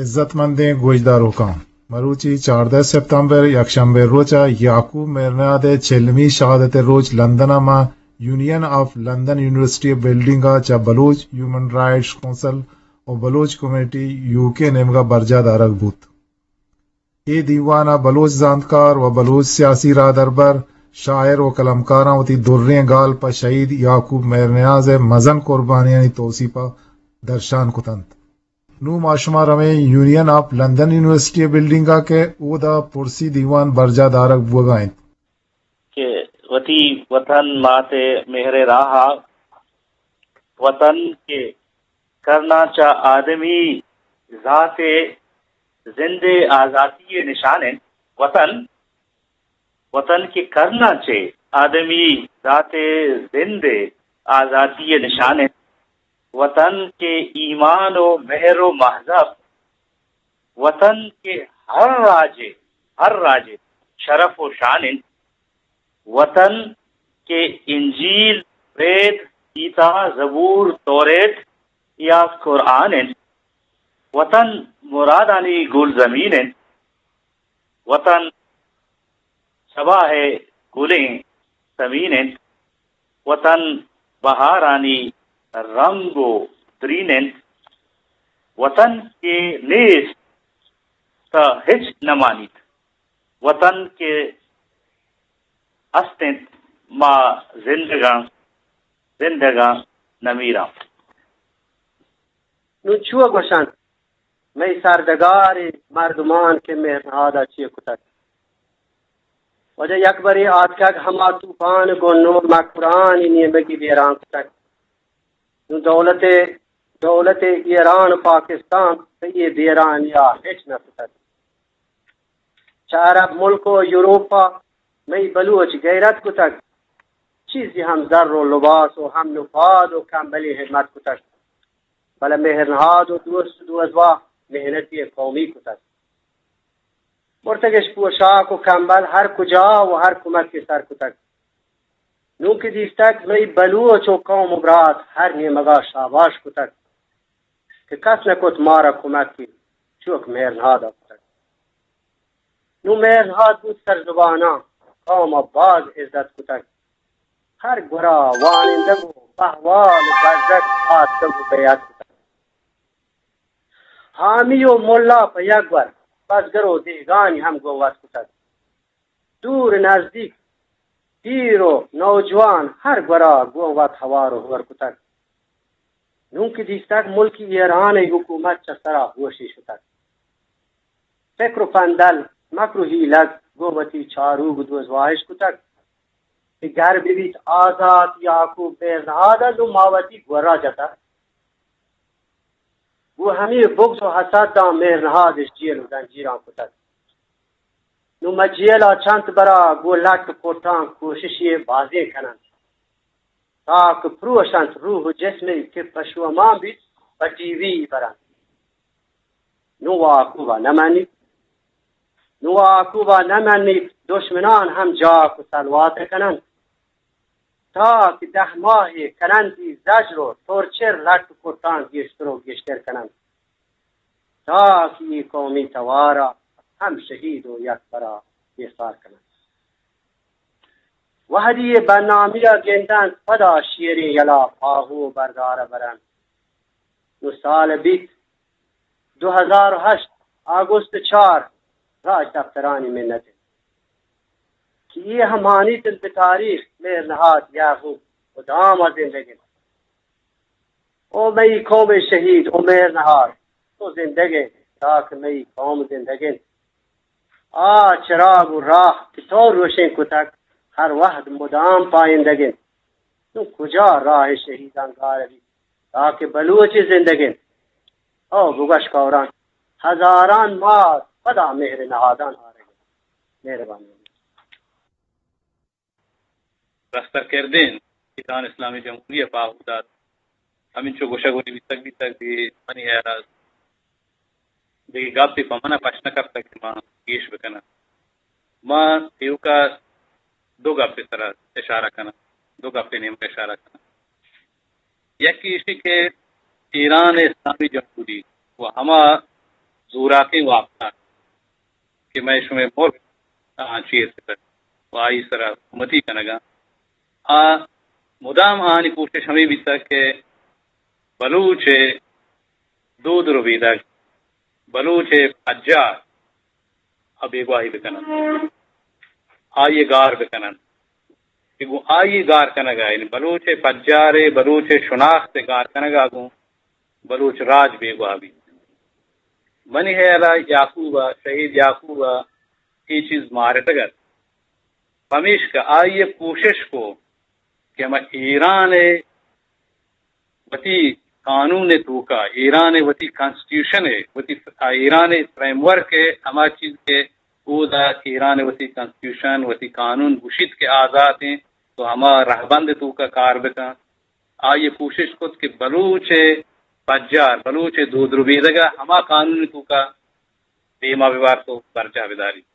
عزت مندیں گوشداروکاں، مروچی چاردہ ستمبر یکشنبے روچ ءَ یعقوب مہرنیاد ءِ چلمی شہادت ءِ روچ لندن ءَ ماں یونین آف لندن یونیورسٹی ءِ بلڈنگ ءَ چہ بلوچ ہیومن رائٹس کونسل ءُ بلوچ کمیٹی یو کے نیمگ ءَ برجاہ دارگ بوت۔ اے دیوان ءَ بلوچ زانتکار ءُ بلوچ سیاسی راہدربر، شاعر ءُ قلمکاراں وتی دریں گال پہ شہید یعقوب مہرنیاز ءِ مزن قربانیانی توسیپ ءَ درشان کت انت۔ نوں ما شما رویں یونین آف لندن یونیورسٹی ءِ بلڈنگ ءَ کہ اودا پرسی دیوان برجاہ دارگ بوگ ءَ انت۔ کہ وتی وطن مات ءِ مہر ءِ راہ ءَ، وطن کہ کرناں چہ آدمی ذات ءِ زند ءِ آزاتی ءِ نشان انت۔ وطن، وطن کہ کرناں چہ آدمی ذات ءِ زند ءِ آزاتی ءِ نشان انت۔ وطن کہ ایمان ءُ مہر ءُ مہذب، وطن کہ ہر راج ءِ، ہر راج ءِ شرف ءُ شان انت۔ وطن کہ انجیل، پریت، گیتا، زبور، توریت یا قرآن انت۔ وطن مرادانی گلزمین انت۔ وطن سباہ ءِ گلیں سمین انت۔ وطن بہارانی رنگ ءُ درین انت۔ وطن کہ نیست تہ ہچ نہ مانیت۔ وطن کہ است انت، ما زندگاں، زندگاں نمیراں۔ نوں چو گوشنت مئے سرڈگاریں مردمان کہ مہرنہاد ءَ چے کتگ؟ واجہ، یکبرے آتکگ ہما توپان گوں نوں مکرانی نیمگی بیران کتگ۔ نوں دولت، دولت ایران ءُ پاکستان پہ اے بیرانی ءَ ہچ نہ کتگ۔ چہ عرب ملک ءُ یورپ ءَ مئی بلوچ غیرت کتگ، چیزے ہم زر ءُ لباس ءُ ہم نپاد ءُ کمبلے ہمت کتگ، بلے مہرنہاد ءُ دوست ءُ دوزواہ محنتے قومی کتگ۔ مرتگش پوشاک ءُ کمبل ہر کجا ءُ ہر کمکے سر کتگ۔ نوں کہ دیستگ مئی بلوچ ءُ قوم ءُ برات ہر نیمگا شاباش کتگ کہ کس نہ کت مارا کمکے چوک مہرنہاد ءَ کتگ۔ نوں مہرنہاد بوت سر زباناں، قوم ءَ باز عزت کتگ۔ ہر گورا وانندگ ءُ بہوال ءُ بزگ آتکگ ءُ بیعت کتگ۔ حامی ءُ ملا پہ یک گور، بزگر ءُ دہگانی ہم گوں وت کتگ۔ دور نزدیک، پیر ءُ نوجوان ہر گورا گوں وت ہوار ءُ ہور کتگ۔ نوں کہ دیستگ ملک ایران ءِ حکومت چہ سرا ہوشی شتگ۔ فکر ءُ پندل، مکر ءُ ہیلگ گوں وتی چاروک ءُ دوزواہش کتگ کہ گر بہ بیت آزات یعقوب مہرنہاد ءَ، نوں ما وتی گورا جتگ۔ گوں ہمے بغض ءُ حسد داں مہرنہادش جیل ءُ زنجیراں کتگ۔ نوں ما جیل ءَ چنت برا گوں لٹ ءُ کٹاں کوششے بازیں کننت۔ تاک پروشنت روح ءُ جسمے کہ پشومان بیت، پہ ٹی وی برنت۔ نوں یعقوب ءَ نہ منیت۔ نوں یعقوب ءَ نہ منیت، دشمنان ہم جاک ءُ سلوات کننت۔ تاک دہ ماہے کننتی زجر ءُ ٹارچر، لٹ ءُ کٹاں گیشتر ءُ گیشتر کننت۔ تاکہ اے قومی توار ءَ ہم شہید ءُ یکبرا ایسار کننت۔ وہدی اے بدنامی ءَ گندنت، پدا شیریں یلا پاہو بردار ءَ برنت۔ نوں سال بیت دو ہزار ءُ ہشت، آگوست چار، راج دپترانی منت انت کہ اے ہم مانیت انت بہ تاریخ مہرنہاد یعقوب مدام ءَ زندگ انت۔ او مئی قوم ءِ شہید، او مہرنہاد، تو زندگ ئے، تاکہ مئی قوم زندگ انت۔ آ چراگ ءُ راہ کہ تو روشن کتگ، ہر وہد مدام پائندگ انت۔ نوں کجا راہ شہیداں گار بیت، تاکہ بلوچ زندگ انت؟ او بگوش کوران، ہزاران مات پدا مہر نہادان آرگ انت۔ مہربانی۔ رستر کردین ایران اسلامی جمہوری ءَ پاہو دات۔ ہمینچو گوشگ ءُ نبیسگ بیتگ، بے منی ہیال ءَ دگہ گپے پہ من ءَ پش نہ کپتگ کہ من گیش بکناں۔ من ایوک ءَ دو گپے سرا اشارہ کناں، دو گپے نیمگ ءَ اشارہ کناں۔ یکے ایشی کہ ایران اسلامی جمہوری ءُ ہما زوراکیں واکدار کہ مئے شمئے ملک آ چیر کتگ و آئی سرا حکومتی کنگا۔ آ مدام آنی کوشش ہمیں بیتگ کہ بلوچ ء دود ربیدگ، بلوچ ء پجار ء بیگواہی بکنن، آئی ء گار بکنن۔ کہ گوں آئی ء گار کنگ ء، یعنی بلوچ ء پجار ء، بلوچ ء شناخت ء گار کنگ ء گوں بلوچ راج بیگواہ بیت۔ منی ہیال ء یعقوب ء، شہید یعقوب ء اے چیز مارتگ ات، پمیشکہ آئی ء کوشش کو کہ ہما ایران ء وتی قانون ء توکا، ایران ء وتی کانسٹیٹیوشن ء، وتی ایران ء فریم ورک ء، ہما چیز کہ اودا ایران ء وتی کانسٹیٹیوشن، وتی قانون گوشیت کہ آزات انت، تو ہما رہبند ء توکا کار بکن۔ آئی ء کوشش کت کہ بلوچ ء پجار، بلوچ ء دود ربیدگ ء ہما قانون ء توکا دیما ببارت و برجاہ بداریت۔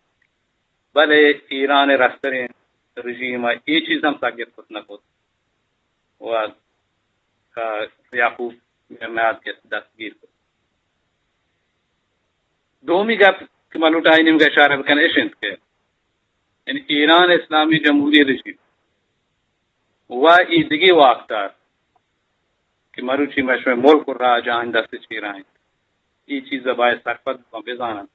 بلے ایران ء رستریں رژیم ء اے چیز ہم سگت کت نہ کت و، آ، یعقوب میرنہاد کہ دستگیر کت۔ دومی گپ کہ من لوٹاں آئی نیمگا اشارہ بکن اش انت کہ یعنی ایران اسلامی جمہوری رژیم و اے دگہ واکدار کہ مروچی مئے شمئے ملک و راج آنی دست چیرا انت، اے چیز ء باید سرپد بہ بزاننت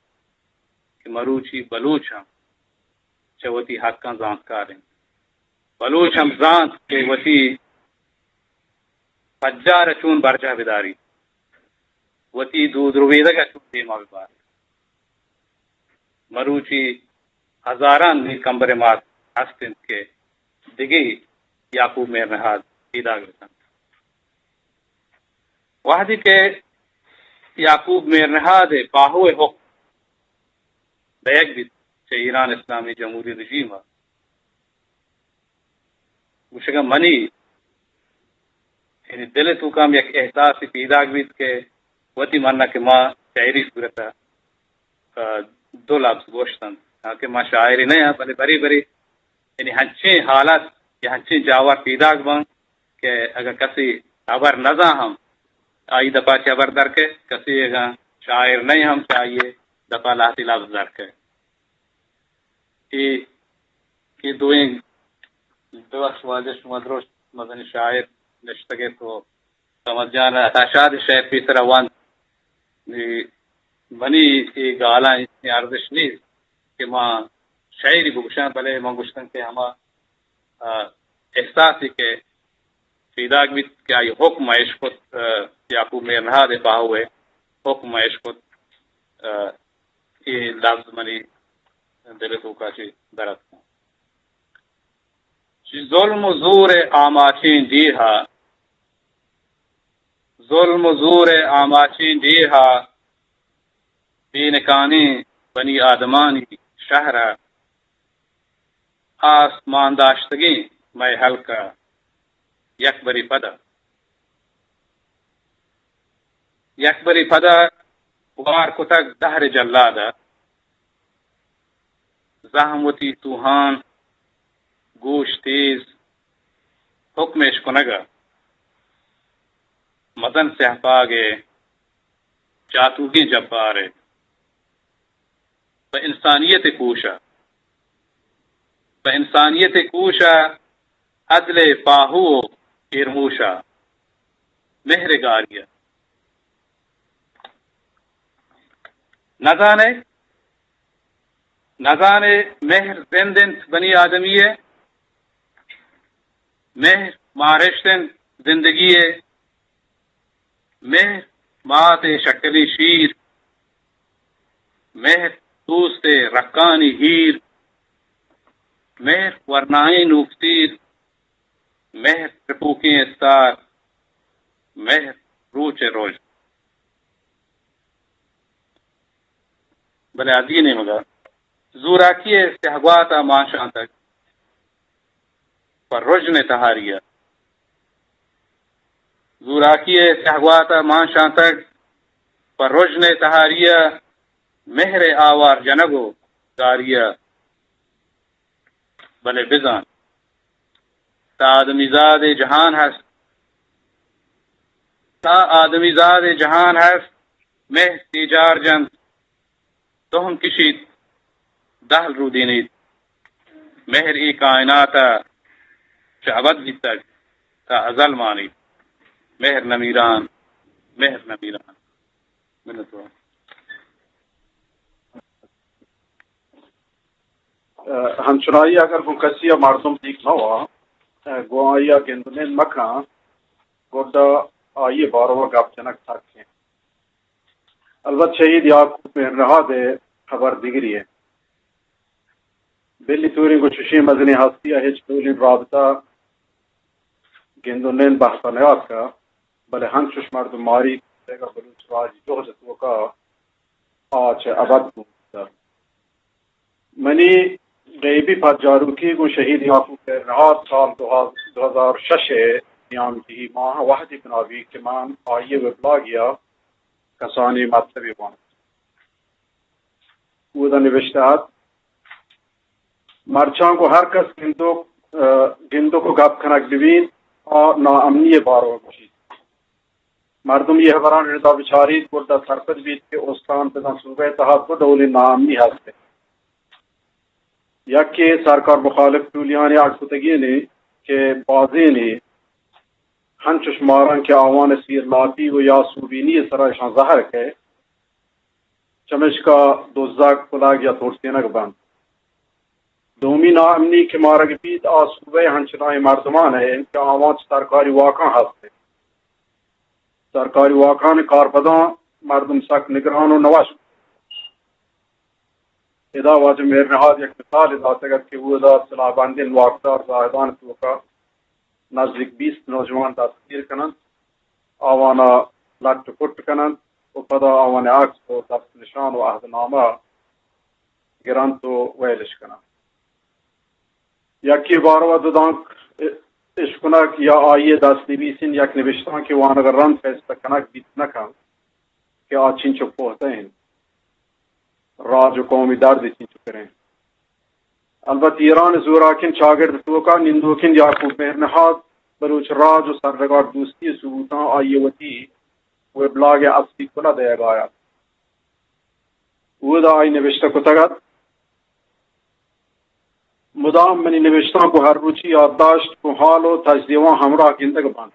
کہ مروچی بلوچ ہم چہ وتی حقاں زانتکار انت۔ بلوچ ہم زانت کہ وتی پجار ء چون برجاہ بداریت، وتی دود ربیدگ ء چون دیما ببارت۔ مروچی ہزاران میر کمبر ء مات ہست انت کہ دگہ یعقوب میر نہاد پیداگ بہ کنت۔ وہدے کہ یعقوب میر نہاد ء پاہو ء حکم دئیگ بیت چہ ایران اسلامی جمہوری رژیم ء، گوشگا منی یعنی دل ء توکا ہم یک احساسے پیداگ بیت کہ وتی من ء کہ ما شاعری صورت ء، آ، دو لبز گوشت انت، ہاں کہ ما شاعرے نہ آں، بلے برے برے یعنی ہنچیں حالت یا ہنچیں جاور پیداگ بنت کہ اگاں کسے ہبر نزان ہم آئی دپا چہ ہبر در کئے، کسے اگاں شاعر نہ ہم چہ آئی دپا لہتے لبز در کئے۔ اے، اے دوئیں، ببخش واجہ، شما درست مزنیں شاعر نشتگ ات و صمد جان عطا شاد شعر پیسرا وانت۔ نی منی اے گالاں ہچ ارزش نیست کہ ما شعری بگوشاں، بلے من گوشتن کہ ہما، آ، احساسے کہ پیداگ بیت کہ آئی حکم ء اشکت، آ، یعقوب میر نہاد ء پاہو ء حکم ء اشکت، آ، اے لفظ منی دل ء توکا چہ در اتکاں۔ چہ ظلم و زور ء آماچیں ڈیہا، ظلم و زور ء آماچیں ڈیہا، بے نکانیں بنی آدمانی شہر ء آس مان داشتگیں مئے ہلک ء یک برے پدا، یک برے پدا گوار کتگ دہر جلاد ء۔ زہم وتی توہان، گوش تیز، حکم اشکنگ ء مزن سیاہپاگ ء جاتوگیں جبار ء پہ انسانیت ء کوش ء، پہ انسانیت ء کوش ء عدل ء پاہو و ایرموش ء مہر ء گاری ء۔ نزانے، نزانے مہر زند انت بنی آدمی ء، مہر مارشت انت زندگی ء، مہر مات ء شکلیں شیر، مہر دوست ء رکانی ہیر، مہر ورنائیں نوکتیر، مہر ٹپوکیں استار، مہر روچ ء روژن۔ بلے ادی نیمگا زوراکی ء سیاہگوات ء مان شانتگ پہ رژن ء تہاری ء۔ زوراکی ء سیاہگوات ء مان شانتگ پہ رژن ء تہاری ء، مہر ء آوار جنگ و گاری ء۔ بلے بزان، تا آدمی زاد ء جہان ہست، تا آدمی زاد ء جہان ہست، مہر تیجار جنت، تو ہم کشیت، دہل رودینیت۔ مہر اے کائنات ءَ چہ ابد بیتگ، تا ازل مانیت۔ مہر نمیران، مہر نمیران۔ منتوار۔ ہنچنائی اگر گوں کسی ءَ مردم دیگ مہ وا، گوں آئی ءَ گند ءُ نند مکن، گڈا آئی ءِ باروا گپ جنگ سک انت۔ البت شہید یعقوب مہرنہاد ءِ خبر دگرے انت۔ بلی توریں گوں چشیں مزنیں ہستی ءَ ہچ ڈولیں رابطہ، گند ءُ نند، بحث ءَ نیاتکہ، بلے ہنچش مردم ماری دگہ بلوچ راجی جہد ءِ توکا آ چہ ابد گون بوتگ۔ منی غیبی پجاروکی گوں شہید یعقوب مہرنہاد سال دو ہزار، دو ہزار شش ءِ نیامجی ماہ ءَ وہدے بنا بیت کہ من آئی ءِ ویبلاگے ءَ کسانیں مطلبے وانت۔ اودا نبشتہ ات، مرچاں گوں ہر کس گندوک، ءَ، گندوک ءُ گپ کنگ بہ بیت، آ ناامنی ءِ باروا گوشیت۔ مردم اے ہبرانی ردا بچاریت، گڈا سرپد بیت کہ استان بزاں صوبہ ءِ تہا دو ڈولیں ناامنی ہست انت۔ یکے سرکار مخالف ٹولیانی اڈ کتگینے کہ بازینے ہنچش ماراں کہ آوان ءِ سیر لاپی ءُ یا سوبینی ءِ سرا اشاں زہر کئے، چمیشکا دزگ، کلگ یا ترسینگ بنت۔ دومی ناامنی کہ مارگ بیت، آ صوبہ ءِ ہنچنائیں مردمان ءِ انت کہ آوان چہ سرکاری واکاں ہست انت۔ سرکاری واکانی کارپداں مردم سک نگران ءُ نوش۔ ادا واجہ مہرنہاد یک مثالے داتگ ات کہ اودا سلاہ بندیں واکدار زاہدان ءِ توکا نزیک بیست نوجوان دستگیر کن انت، آوان ءَ لٹ ءُ پٹ کن انت ءُ پدا آوان ءِ عکس ءُ دست نشان ءُ عہد نامہ گرنت ءُ ویلش کننت۔ یکے باروا دو دانک اشکنگ یا آئی ءِ دست نبیسین یک نبشتانکے وانگ ءَ رند پیسلہ کنگ بیت نہ کنت کہ آ چنچو پہتہ انت، راج ءُ قومی درد چنچو پر انت۔ البت ایران ءِ زوراکیں چاگرد ءِ توکا نندوکیں یعقوب مہرنہاد بلوچ راج ءُ سرڈگار دوستی ءِ ثبوتاں آئی ءِ وتی ویبلاگ ءِ اصلی کلہ دئیگ ءَ ات۔ اودا آئی نبشتہ کتگ ات، مدام منی نبشتانک ءُ ہر روچی یادداشت گوں حال ءُ تجزیہاں ہمراہ گندگ بنت۔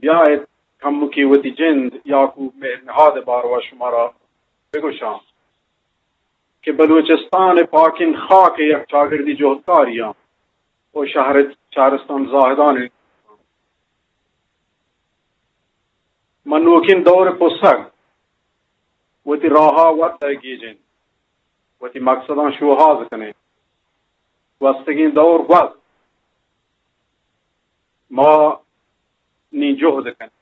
بیائیت کمکے وتی جند یعقوب مہرنہاد ءِ باروا شمارا بگوشاں کہ بلوچستان ءِ پاکیں خاک ءِ یک چاگردی جہدکارے آں ءُ شہر، شہرستان زاہدان ءِ من نوکیں دور ءِ پسگ وتی راہ ءَ وت ءَ گیجیں، وتی مقصداں شوہاز کنیں۔ گوستگیں دور گوست، ما نی جہد کنیں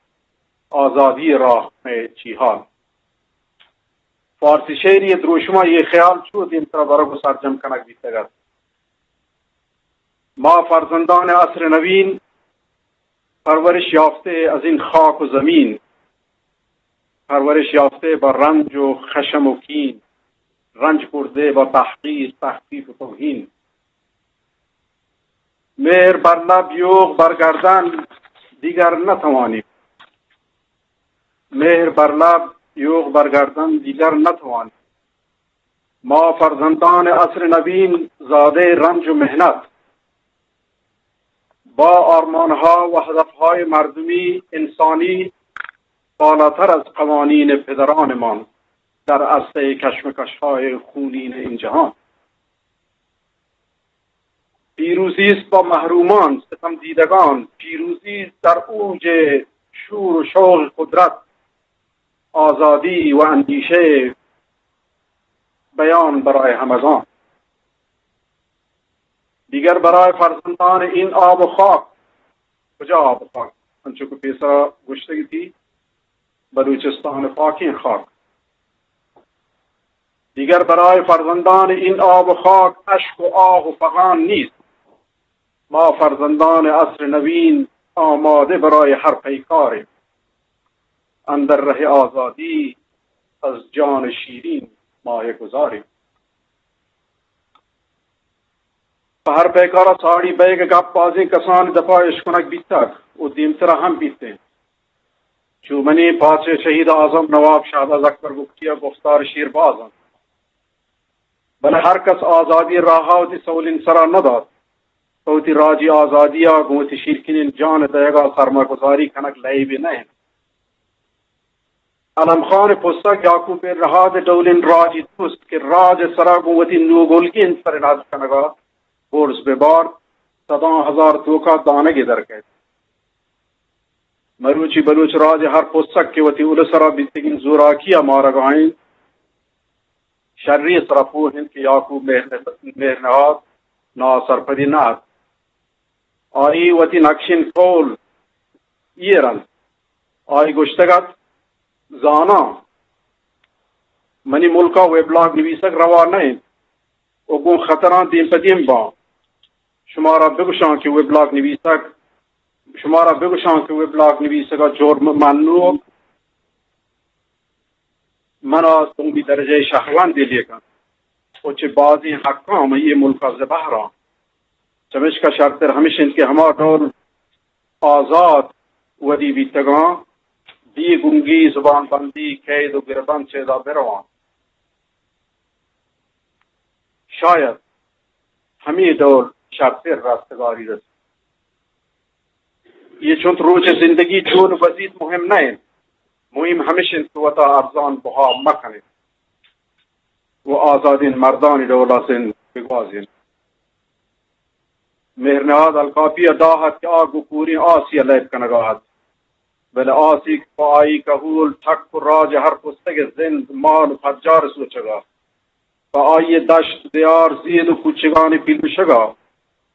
آزادی ءِ راہ ءَ چی حال۔ فارسی شعری ءِ دروشم ءَ اے خیال چو دیمترا برگ ءُ سرجم کنگ بیتگ ات۔ ما فرزندان عصر نوین، پرورش یافته از این خاک و زمین، پرورش یافته با رنج و خشم و کین، رنج خورده با تحقیر، تخفیف و توهین. مهر بر لب، یوغ بر گردن، دیگر نتوانیم. مهر بر لب، یوغ بر گردن، دیگر نتوانیم. ما فرزندان عصر نوین، زادهٔ رنج و محنت، با آرمان‌ها و هدف‌های مردمی، انسانی، بالاتر از قوانین پدرانمان در عرصهٔ کشمکش‌های خونین این جهان. پیروزی است با محرومان، ستم دیدگان، پیروزی است در اوج شور و شوق قدرت، آزادی و اندیشه، بیان برای همگان. دیگر برای فرزندان این آب و خاک، کجا آب و خاک؟ انچو که پیسرا گوشتگی تھی، بلوچستان پاکیں خاک. دیگر برای فرزندان این آب و خاک اشک و آه و فغان نیست. ما فرزندان عصر نوین آماده برای هر پیکاریم. اندر ره آزادی از جان شیرین مایه گذاریم. پہ ہر پیکارا ساڑی بئیگ ءِ گپ بازیں کسانی دپا اشکنگ بیتگ و دیمترا ہم بیت انت۔ چو منی پاچ ءِ شہید اعظم نواب شہباز اکبر بگٹی ءِ گفتار شیر باز انت۔ بلے ہر کس آزادی راہ ءَ وتی سولیں سرا نہ دات۔ پہ وتی راجی آزادی ءَ گوں وتی شیرکنیں جان ءِ دئیگ ءَ سرماگزاری کنگ لئیبے نہ انت۔ علم خان ءِ پسگ یعقوب مہر نہاد ءِ ڈولیں راجی دوست کہ راج ءِ سرا گوں وتی نوگلگیں سر ءَ نز کنگ ءَ برز بہ بارت، سداں ہزار توک ءَ دانگے در کئیت۔ مروچی بلوچ راج ءِ ہر پسگ کہ وتی الس ءِ سرا بیتگیں زوراکی ءَ مارگ ءَ انت، شری ءِ سرا پوہ انت کہ یعقوب مہر، مہر نہاد ناسرپدی نہ ات۔ آئی وتی نقشیں قول ایر انت۔ آئی گوشتگ ات، زاناں منی ملک ءَ ویبلاگ نویسگ روا نہ انت و گوں خطراں دیم پہ دیم باں۔ شمارا بگوشاں کہ ویبلاگ نویسگ، شمارا بگوشاں کہ ویبلاگ نویسگ ءَ جرم منوک من ءَ دومی درجہ ءِ شہروندے لیکن و چہ بازیں حقاں مئے ملک ءَ زبہراں۔ چمیشکا شرتر ہمیش انت کہ ہما ڈول آزات ودی بیتگاں، بے گنگی، زبان بندی، قید و گربند چیدا برواں۔ شاید ہمے ڈول شرتر رستگاری رسیت۔ اے چنت روچ ءِ زندگی چون گوزیت مہم نہ انت، مہم ہمیش انت کہ وتا ارزان بہا مہ کنیت و آزادیں مردانی ڈولا زند بگوازینت۔ مہر نہاد الکاپی ءَ داہ ات کہ آ گوں کوریں آسی ءَ لیب کنگا ات، بلے آسی کہ پہ آئی کہول ٹک و راج ءِ ہر پستگ ءِ زند، مال و پجار ءِ سوچگا، پہ آئی ءِ دشت، دیار، زید و کوچگانی پیلوشگا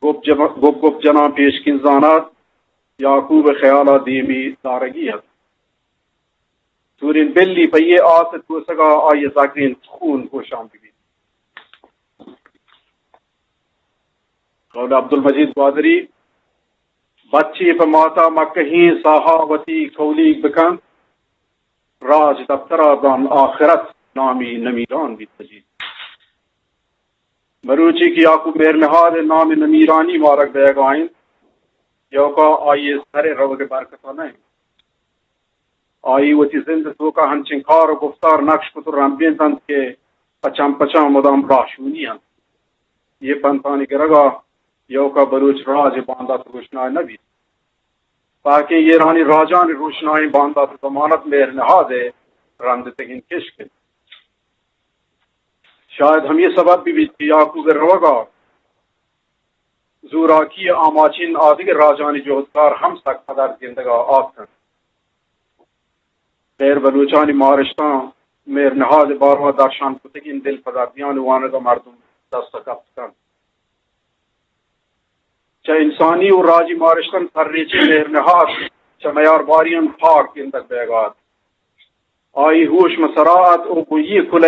گپ جب، گپ گپ جناں پیشکین زانات، یعقوب ءِ خیالا دیمی دارگی ات۔ سورین بلی پہ یہ آس ءِ توسگا آئی ءِ زگرین خون گوشان ببیت۔ قول عبدالمجید گوادری، بچے پہ ماتا مکہیں ساہا وتی کولیگ بکنت، راج دپترا دان آخرت نامی نمیران بیت مجید۔ مروچی کہ یعقوب مہر نہاد ءِ نام نمیرانی مارگ دئیگا انت، یوکا آئی ءِ سر ءِ روگ ءِ برکتا نہ انت۔ آئی وتی زند ءِ توکا ہنچیں کار و گفتار نقش کت و رمبینت انت کہ پچان پچان مدام راہشونی انت۔ یہ پنتانی گرگا یوکا بلوچ راج ءِ باندات روشنائی نہ بیت۔ تاکہ ایرانی راجانی روشنائیں باندات ءِ ضمانت مہر نہاد ءِ رندتگیں کشک انت۔ شاید ہمے سبب بہ بیت کہ یعقوب ءِ روگا زوراکی ءِ آماچیں آدگہ راجانی جہدکار ہم سک پدرد گندگا آتکنت۔ غیر بلوچانی مارشتاں مہر نہاد ءِ باروا درشان کتگیں دل پدردیانی وانگا مردم دست کپت کنت۔ چہ انسانی و راجی مارشتاں سرریچیں مہر نہاد چہ میارباریاں پاک گندگ بیگا ات۔ آئی ہوش مہ سرا ات و گوں یہ کلہ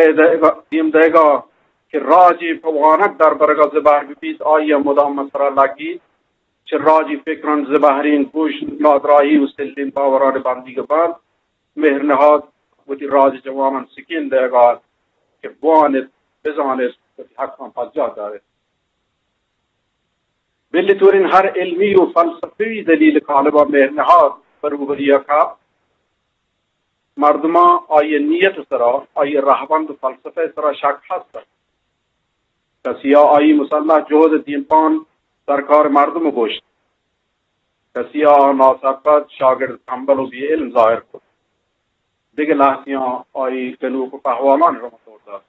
دیم دئیگا کہ راجے پہ وانگ دربرگا زبہر ببیت، آئیا مدام مہ سرا لگیت۔ چہ راجی فکران زبہرین گوش، نادراہی و سلین باوران بندیگ بنت۔ مہر نہاد وتی راج جوانان سکین دئیگا ات کہ بوانت، بزانت، وتی حقان پجاہ دارت۔ بلے تورین ہر علمی و فلسفی دلیل قالبا مہر نہاد بروبری کپت۔ مردماں آئی ءِ نیت ءِ سرا، آئی ءِ رہبند و فلسفہ ءِ سرا شک ہست ات۔ کسیا آئی مسلح جہد ءِ دیمپان درکار مردم گوشت، کسیا آ ناسرپد، شاگرد تنبل و بے علم ظاہر کت۔ دگہ لہتیاں آئی گنوک و پہوالانی رم ءَ دور دات۔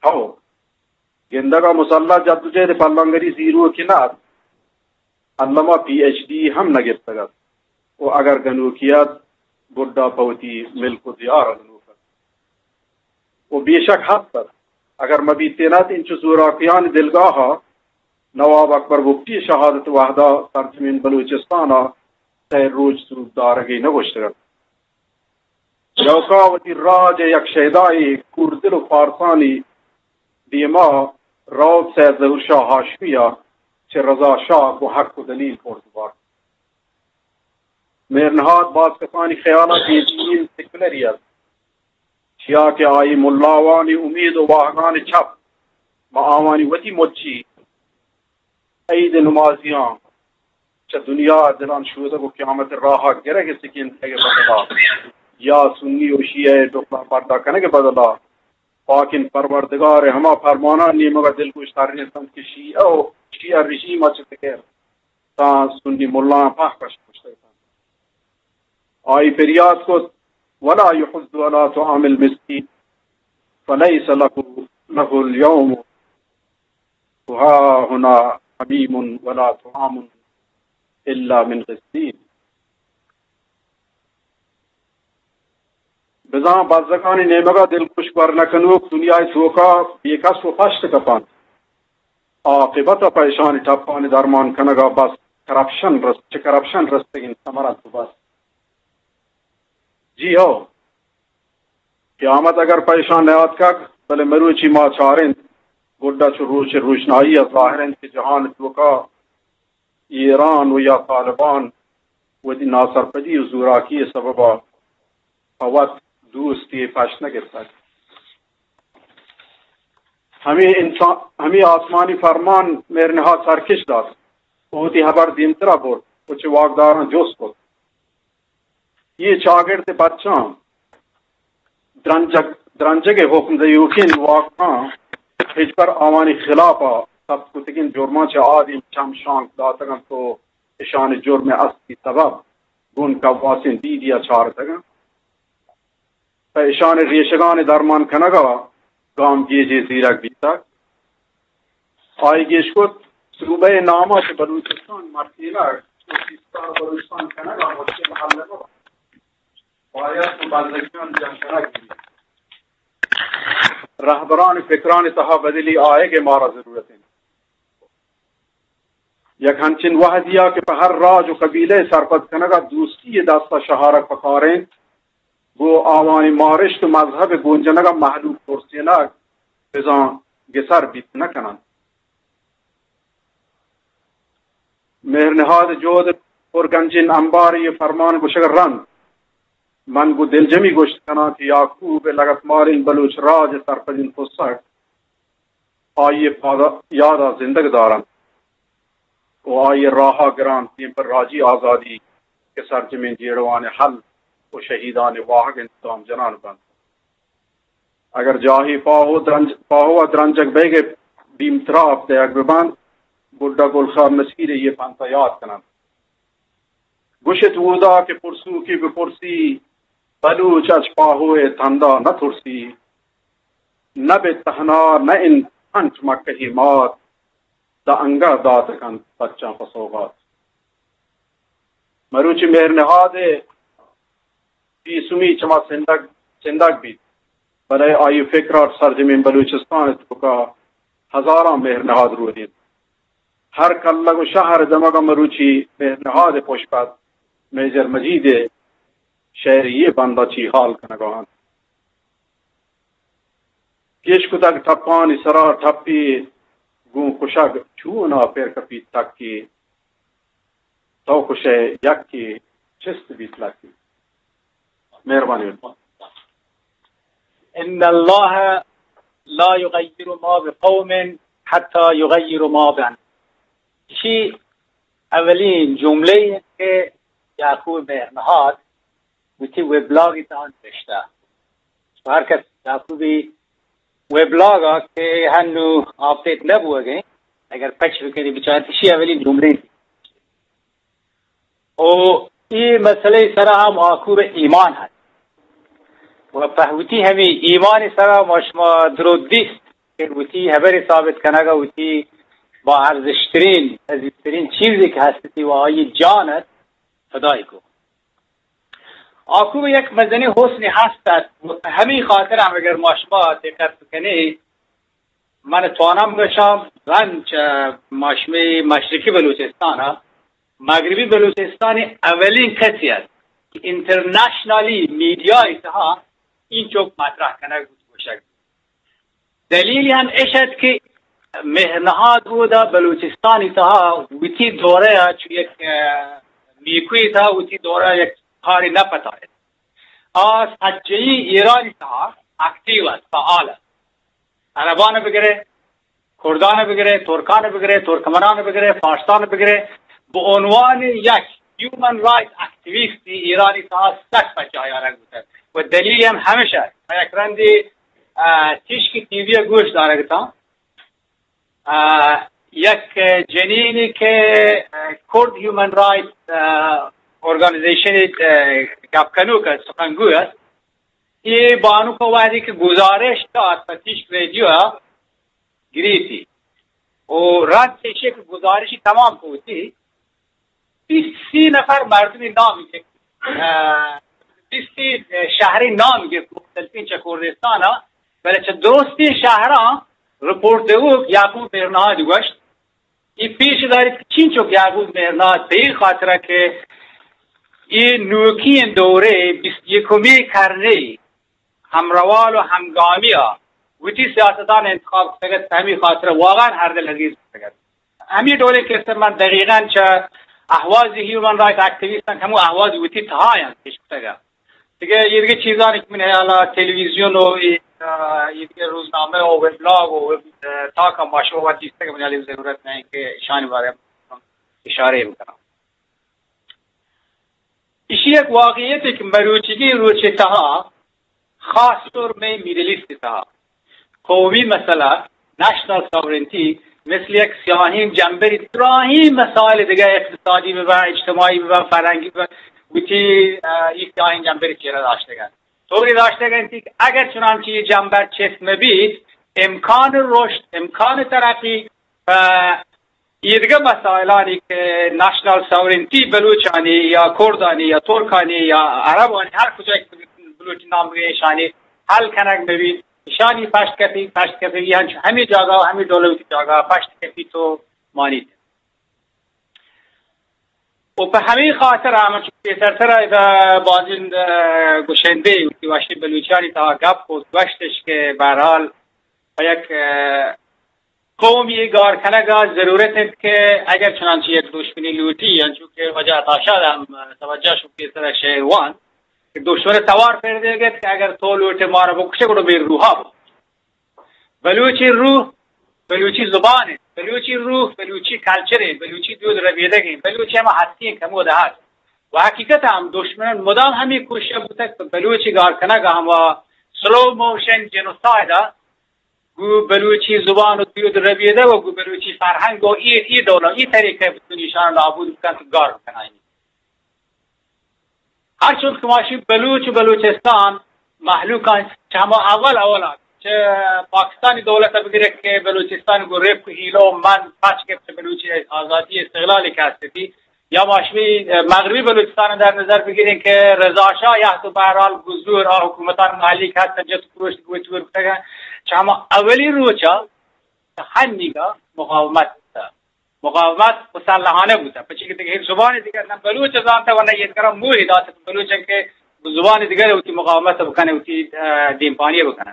ہو، گندگ ءَ مسلح جدوجہد ءِ پلانگری زیروکے نہ ات۔ الما پی ایچ ڈی ہم نہ گپتگ ات و اگر گنوکی ات، گڈا پہ وتی ملک و دیار ءَ گنوک ات و بے شک ہست ات۔ اگر مہ بیتین ات، انچو زوراکیانی دلگاہ ءَ نواب اکبر بگٹی ءِ شہادت ءِ وہدا سرزمین بلوچستان ءَ سئے روچ سرود دارگے نہ گوشتگ ات۔ یوکا وتی راج ءِ یک شیدائے کوردل و فارسانی دیما روت سید ظہور شاہ ہاشمی ءَ چہ رضا شاہ گوں حق و دلیل پرس بارت۔ مہر نہاد باز کسانی خیالا بے دینی سیکولری ات، چیا کہ آئی ملاوانی امید و واہگانی چپ ماں آوانی وتی مچی عید نمازیاں چہ دنیا ءَ دلان شودگ و قیامت ءِ راہ ءَ گرگ ءِ سکین دئیگ ءِ بدلا یا سنی و شیعہ ءِ ڈکھلاں پردہ کنگ ءِ بدلا پاکیں پروردگار ءِ ہما فرماناں نیمگ ءَ دلگوش ترینت انت کہ شیعہ و شیعہ رژیم ءَ چہ فکر تاں سنی ملایاں پہک پش کشتگ انت۔ آئی پریات کت، ولا یحض علی طعام المسکین فلیس له، له الیوم هاهنا حمیم ولا طعام الا من غسلین۔ بزاں بزگانی نیمگ ءَ دلگوش گور نہ کنوک دنیا ءِ توکا بے کس و پشت کپنت۔ عاقبت ءَ پہ اشانی ٹپانی درمان کنگ ءَ بس کرپشن رست، چہ کرپشن رستگیں ثمر انت و بس۔ جی ہو، قیامت اگر پہ اشان نیاتکگ، بلے مروچی ما چاریں، گڈا چو روچ روشنائی ءَ ظاہر انت کہ جہان ءِ توکا ایران و یا طالبان وتی ناسرپدی و زوراکی ءِ سبب ءَ پہ وت دوستی پشت نہ گپتگ۔ ہمے انسان، ہمے آسمانی فرمان مہر نہاد سرکش دات و وتی ہبر دیمترا برت و چہ واکداراں جست کت۔ اے چاگرد ءِ بچاں درنجگ، درنجگ ءِ حکم دیوکیں واکاں ہچبر آوانی خلاف ءَ ثبت کتگیں جرماں چہ آدیم چم شانک داتگ انت و اشانی جرم ءِ اصلی سبب گوں کواسیں دیدی ءَ چارتگ انت۔ پہ اشانی ریشگانی درمان کنگ ءَ گامگیجے زیرگ بیتگ۔ آئی گیش کت، صوبہ ءِ نام ءَ چہ بلوچستان مرچینگ و سیستان بلوچستان کنگ ءَ مشکل حل نہ بنت۔ باید کہ بندگیان جنگ کنگ بیت۔ رہبران فکرانی تہا بدلی آیگ ءِ مارا ضرورت انت۔ یک ہنچیں وہدی ءَ کہ پہ ہر راج و قبیلہ ءِ سرپد کنگ ءَ دوستی ءِ دست ءَ شہارگ پکار انت، گوں آوانی مارشت و مذہب ءِ گونجنگ ءَ مہلوک ترسینگ بزاں گسر بیت نہ کننت۔ مہر نہاد ءِ جہد ءِ پرگنجیں امبار ءِ فرمان گوشگ ءَ رند، من گوں دلجمی گوشت کناں کہ یعقوب ءِ لگتمالیں بلوچ راج ءِ سرپدیں پسگ آئی ءِ پادا، یاد ءَ زندگ دارنت و آئی ءِ راہ ءَ گران دیم پر راجی آزادی کہ سرجمیں جیڑوان ءِ حل و شہیدان ءِ واہگ انت گام جنان بنت۔ اگر جاہے پاہو درنج، پاہو ءَ درنجگ بئیگ ءِ بیم تراپ دئیگ بہ بنت، گڈا گل خان نصیر ءِ اے پنت ءَ یات کننت۔ گوشت اودا کہ پرسوکی بپرسی، بلوچ اچ پاہو ءِ تندا نہ ترسی۔ نہ بہ تہنا نہ انت انچ مکہی مات، داں انگہ دات کنت بچاں پہ سوغات۔ مروچی مہر نہاد ءِ پیسومی چما سندگ، سندگ بیت، بلے آئی فکر ءَ سرجمیں بلوچستان ءِ توکا ہزاراں مہر نہاد رودینت۔ ہر کلگ و شہر ءِ دمگ ءَ مروچی مہر نہاد ءِ پشپد میجر مجید ءِ شعری ءِ بند ءَ چی حال کنگ ءَ انت۔ گیش کتگ ٹپانی سرا ٹپی گوں کشگ، چون ءَ پر کپیت تکی، تو کشئے یکے چست بیت لکی۔ مہربانی۔ ان الله لا یغیر ما بقوم حتی یغیروا ما بانفسهم۔ ایشی اولین جملہ انت کہ یعقوب مہر نہاد وتی ویبلاگ ءِ تہا نوشتہ۔ ہر کس یعقوبی ویبلاگ ءَ کہ ہنو آپڈیٹ نہ بوگ ءَ، اگر پچ بکنی بچار، ایشی اولی جملہ انت۔ او اے مسئلہ سرا ہم آکور ایمان ہست۔ و پہ وتی ہمے ایمان سرا ما شما درو دیست کہ وتی ہبر ثابت کنگا وتی با ارزشترین، عزیزترین چیزی کہ ہستی و آئی جان ات فدای کو۔ آکور یک مزنی حسنی ہست ات و پہ ہمے خاطر ہم اگر ما شما دقت بکنی من توانم گشاں، رند چہ ماشمی مشرقی بلوچستان ءَ مغربی بلوچستانی اولین کسی است کہ انٹرنیشنلی میڈیا ءِ تہا اینچوک مطرح کنگ بوت گوشگ۔ دلیل ہم اش ات کہ مہر نہاد اودا بلوچستانی تہا وتی دورہ ءَ چو یک، اه، نیکوی تہا وتی دورہ ءَ یک کاری نہ پتائے۔ آ سجہی ایرانی تہا اکٹیو است، فعال است۔ عربان بگرے، کردان بگرے، ترکان بگرے، ترکمنان بگرے، فارسان بگرے، به عنوان یک هیومن رایت اکتیویستی ایرانی تہا سک پجاہ آرگ بوتگ و دلیل ہم ہمیش است۔ من یک رندی، اه، تیشکی ٹی وی ءَ گوش دارگ اتاں۔ اه، یک جنینے کہ، اه، کرد ہیومن رائٹ، اه، آرگنائزیشن ءِ، اه، گپ کنوک است، سخنگو است۔ اے بانک ءَ وہدے کہ گزارش دات پہ تیشک ریڈیو ءَ گریتی۔ و رد ایشی کہ گزارشی تمام کو وتی بیست سی نفر مردمی نام گرت، اه، بیست سی شہری نام گرت مختلفیں چہ کردستان ءَ، بلے چہ درستیں شہراں رپورٹ دیوک یعقوب مہرنہاد گوشت، اے پیش داریت کہ چینچک یعقوب مہرنہاد پہ اے خاطرہ کہ اے نوکیں دورے بیست یکمی کرنے ہمروال و ہمگامی ءَ وتی سیاستان انتخاب کتگ ات، پہ ہمے خاطرہ واقعاً ہر دل عزیز کتگ ات۔ ہمے ڈولیں کسہ من دقیقاً چہ اہواز ہیومن رائٹ ایکٹیویسٹاں کہ ہمو اہواز وتی تہا انت پیش کتگ ات۔ دگہ اے دگہ چیزانی کہ من ہیال ءَ تلویزیون و اے، آ، اے دگہ روزنامہ و ویبلاگ و ویب، آ، تاک ءَ ما شما وت دیستگ، من ہیال ءَ ضرورت نہ انت کہ اشانی بارے ءَ اشارہ بکناں۔ ایشی یک واقعیتے کہ مروچیگیں روچ ءِ تہا خاص طور مئے میڈل ایسٹ ءِ تہا قومی مسئلہ، نیشنل ساورنٹی، مثل یک سیاہیں جمبری دراہیں مسائل دگہ اقتصادی ببن، اجتماعی ببن، فرہنگی ببن، وتی، اه، اے سیاہیں جمبری چیرا داشتگ انت۔ طوری داشتگ انت کہ اگر چنانچہ اے جمبر چست مہ بیت، امکان رشد، امکان ترقی، اه، ایدگہ مسائلانی کہ نیشنل ساورنٹی بلوچانی یا کردانی یا ترکانی یا عربانی، ہر کجا کہ بلوچی نام بگے، ایشانی حل کنگ بہ بیت، ایشانی پشت کپی، پشت کپی، یعنی ہمے جاگہ و ہمے دولتی جاگہ پشت کپی تو مانیت۔ و پہ ہمے خاطر ہم چو پیسرتر ادا بازین، اه، گشندے وتی وشی بلوچانی تہا گپ کو گوشتش کہ بہرحال پہ یک، اه، قومی گار کنگ ءَ ضرورت انت کہ اگر چنانچہ یک دشمنی لوٹی، انچو کہ واجہ عطا شاد ہم توجہ شو پیسر شعر وان کہ دشمن توار پر دیگ ات کہ اگر تو لوٹے مارا بکشے گڑا بے روحا بو۔ بلوچی روح، بلوچی زبان انت، بلوچی روح، بلوچی کلچر انت، بلوچی دود ربیدگ انت، بلوچی ہما ہستی انت کہ ہمودا ہست۔ و حقیقت ہم دشمنان مدام ہمے کوشش بوتگ کہ بلوچی گار کنگ ءَ ہما سلو موشن جنوسائیڈ ءَ گوں بلوچی زبان و دود ربیدگ و گوں بلوچی فرہنگ و اے، اے ڈول ءَ، اے طریقہ ءَ بتونی ایشان نابود بکنت و گار بکنائینی۔ ہر چوش کہ ماشی بلوچ و بلوچستان مہلوکاں چہ ہما اول اول ءَ چہ پاکستانی دولت ءَ بگرے کہ بلوچستان گوں ریپ و ہیلو و من پچ گپت، بلوچی آزادی استقلالی کہ ہستی، یا ما شمی مغربی بلوچستان در نظر بگیریں کہ رضا شاہ یا تو بہرحال گزور آ حکومتان محلی کہ ہستن جت پروشت گوی تور کتگا، چہ ہما اولی روچا ہنیگا مقاومت بوتا، مقاومت مسلحانہ بوتا، پچی کہ دگہ ہیچ زبان دیگر نہ بلوچ زانتا و نہ یہ کرا موہ دات بلوچ کہ زبان دیگر ہوتی مقاومت بکنے، ہوتی، اه، دیمپانی بکنے۔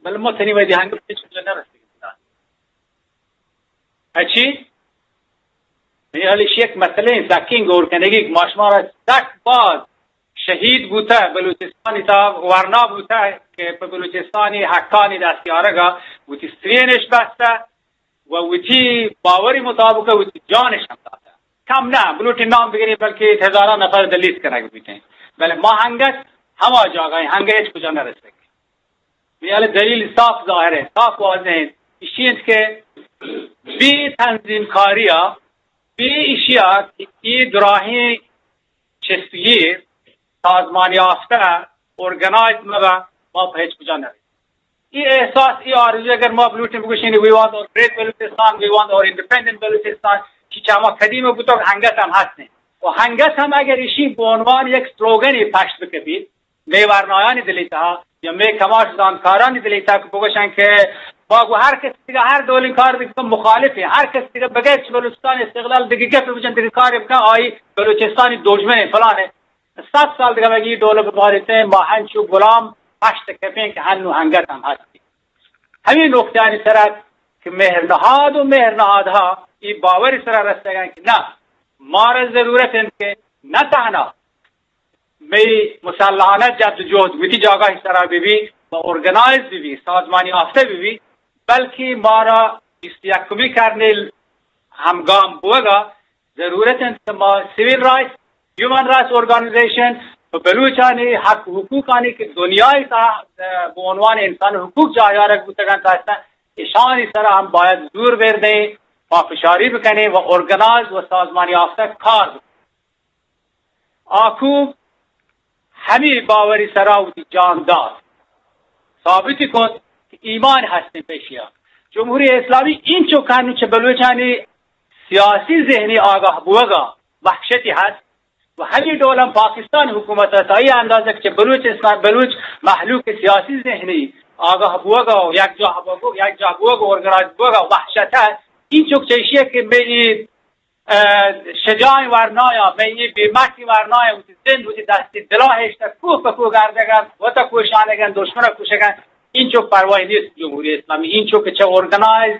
بل ما تنی ویدی ہنگ پیچ کجا نہ رسیدگی۔ اچی؟ یعنی حالی شی یک مسئلہ سکین گور کنگی کہ ماشمارا سک باز شہید بوتا، بلوچستانی تا ورنا بوتا کہ پہ بلوچستانی حقانی دستیارگا وتی سرینش بستا و وتی باوری مطابق وتی جانش ہم داتا۔ کم نہ، بلوٹی نام بگری بلکہ ہزاران نفر دلیت کنگ بیتیں۔ بلے ما ہنگت ہما جاگہ ہیں، ہنگت ہچ کجا نہ رسک۔ میال دلیل صاف ظاہر ہے، صاف واضح ہے۔ اشی انت کہ بی تنظیم کاریا، بی اشیا کہ ای دراہیں چست و گیر سازمان یافتہ، ارگنائز مبا، ما پہ ہچ کجا نہ رسیں۔ ای احساس، ای آرزو اگر ما بلوٹیں بگوشیں، we want our great بلوچستان، we want our independent بلوچستان، چی چہ ہما قدیم بوتگ ہنگت ہم ہستیں۔ و ہنگت ہم اگر اشی بہ عنوان یک سلوگنے پشت بکپیت، مئے ورنایانی دلی تہا یا مئے کماش زانتکارانی دلی تہا کہ بگوشن کہ ما گو ہر کس دیگہ ہر ڈولیں کار دیگہ مخالف ہیں، ہر کس دیگہ بغیر چہ بلوچستان استقلال دیگہ گپ بجن، دیگہ کار بکن، آئی بلوچستانی دژمن ہیں، فلان ہیں۔ صد سال دیگہ مگی ڈول بباریتے، ما ہنچو غلام پشت کپیں کہ ہنو ہنگت ہم ہستی۔ ہمیں نقطہانی سرا کہ مہر نہاد و مہر نہادہا ای باوری سرا رستگاں کہ نہ، مارا ضرورت انت کہ نہ تہنا مئی مسلحانہ جد و جہد وتی جاگاہی سرا بہ بی و ارگنائز بہ بی، سازمانی یافتہ بہ بی، بلکہ مارا بیست و یکمی کرنے ہمگام بوگا ضرورت انت کہ ما سول رائٹس، ہیومن رائٹس آرگنائزیشن، و بلوچانی حق و حقوقانی کہ دنیای تہا، اه، بہ عنوان انسان حقوق جاہ دارگ بوتگن، تا اصلاً اشانی سرا ہم باید زور بردیں، پافشاری بکنیں و ارگنائز و سازمان یافتہ کار بکنیں۔ آکو ہمے باوری سرا وتی جان دات، ثابت کت کہ ایمان ہستیں پیشیا۔ جمہوری اسلامی اینچو کانو چہ بلوچانی سیاسی ذہنی آگاہ بوگا وحشتی ہست و ہمے ڈول ہم پاکستان حکومت ء تا اے اندازہ کہ چہ بلوچستان، بلوچ مہلوک سیاسی ذہنی آگاہ بوگا و یک جاہ بوگا، یک جاہ بوگا، ارگنائز بوگا وحشت ہست۔ اینچو چہ ایشی کہ مئے اے اه، شجاعیں ورنایا، مئے اے بے مٹیں ورنایا، وتی زند، وتی دستی دلا ہشتہ، کوہ پہ کوہ گردگن، وتا کوشانگن، دشمن کشگن، اینچو پرواہی نیست جمہوری اسلامی، اینچو کہ چہ ارگنائز،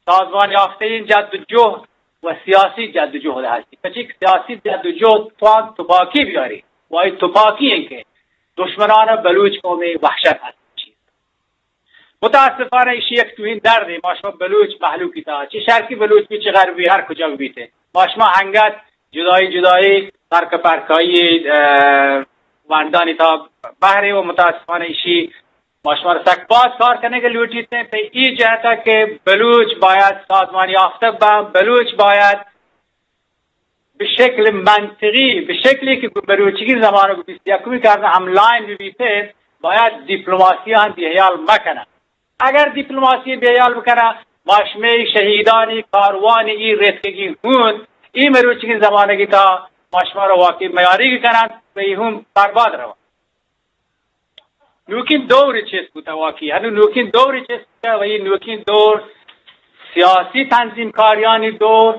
سازمان یافتہ این جد و جہد و سیاسی جد و جہد ہستی۔ پچی کہ سیاسی جد و جہد توان تپاکی بیاری، و آئی تپاکی ہیں کہ دشمنان بلوچ قومی وحشت ہست۔ متاسفانہ ایشی یک توہین دردے ما شما بلوچ مہلوکی تہا، چہ شرقی بلوچ بی، چہ غربی، ہر کجا بیتے، ما شما انگت جدائی جدائی، فرق پرکائی، اه، وندانی تہا بہرے و متاسفانہ ایشی ما شما را سک باز کار کنگ لوٹیتے۔ پہ ای جہتا کہ بلوچ باید سازمان یافتہ بہ، بلوچ باید بہ شکل منطقی، بہ شکلی کہ مروچیگیں زمانگ بیست یکمی کرن ہم لائن بہ بیت، باید دیپلماسی ہم بیحیال مکنن۔ اگر دیپلماسی بیحیال بکنن، ما شمئے شہیدانی کاروانی ای رتکگی ہون، ای مروچیگیں زمانگی تہا ما شما را واقعی میاریگ کنن و ای ہون برباد روان۔ نوکیں دور چست بوتہ واقعی، ہنو نوکیں دور چست بوتہ و ای نوکیں دور سیاسی تنظیم کاریانی دور،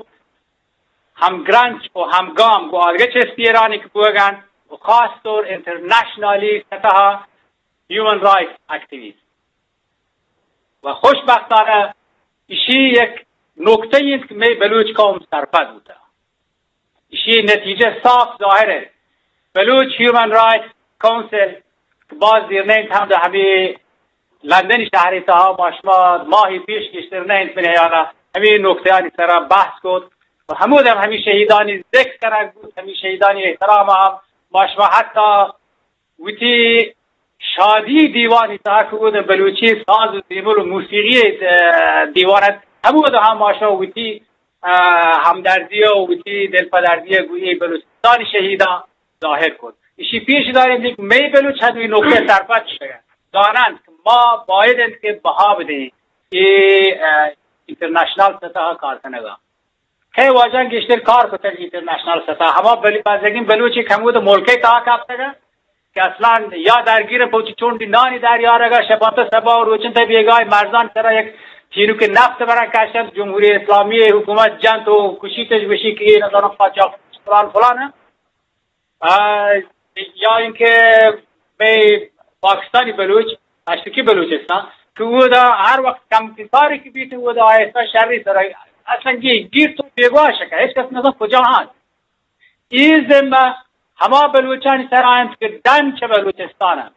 ہمگرنچ و ہمگام گوں آدگہ چست ایرانی کہ بوگن و خاص طور انٹرنیشنلی سطح ہیومن رائٹس ایکٹیویسٹ و خوشبختانہ ایشی یک نکتہ انت کہ مئے بلوچ قوم سرپد بوتہ۔ ایشی نتیجہ صاف ظاہر ہے۔ بلوچ ہیومن رائٹس کونسل کہ باز دیر نہ انت، ہم در ہمے لندن شہر تہا ما شما ماہی پیش گیشتر نہ انت، من حیالا ہمے نکتہانی سرا بحث کت و ہمود ہم ہمے شہیدانی ذکر کنگ بوت، ہمے شہیدانی احترام ہم ما شما حتی وتی شادی دیوانی تہا کہ اود بلوچی ساز و زیمل و موسیقی، اه، دیوان ات، ہمود ہم ما شما وتی، اه، ہمدردی و وتی دلپدردی گوں اے بلوچستانی شہیداں ظاہر کت۔ ایشی پیش داریں کہ مئے بلوچ ہنوی نکتہ سرپد شدگ انت، زاننت کہ ما باید انت کہ بہا بدیں اے، اه، انٹرنیشنل سطح کار کنگا۔ کئے واجہاں گیشتر کار کتگ انٹرنیشنل سطح؟ ہما بل-، بزگیں بلوچے کہ ہمود ملک ء تہا کپتگ انت کہ اصلاً یا درگیر انت پہ وتی چنڈی نانی در یارگ ء، شپانتہ سبا و روچنتہ بیگاہ مرزان سرا یک چینوک نفت برن کشنت، جمہوری اسلامی حکومت جنت و کشیتش، گوشی کہ اے نزاناں قاچاق فلان فلان انت۔ آ، یا اینکہ مئے پاکستانی بلوچ، اشرکی بلوچستان، کہ اودا ہر وقت کم کاری کہ بیت، اودا آہستہ شری سرا اصلاً گی-، گیر تو بیگواہ شکا، ہچ کس نزان کجا ہاں۔ ای ذمہ ہما بلوچانی سرا انت کہ ڈن چہ بلوچستان انت۔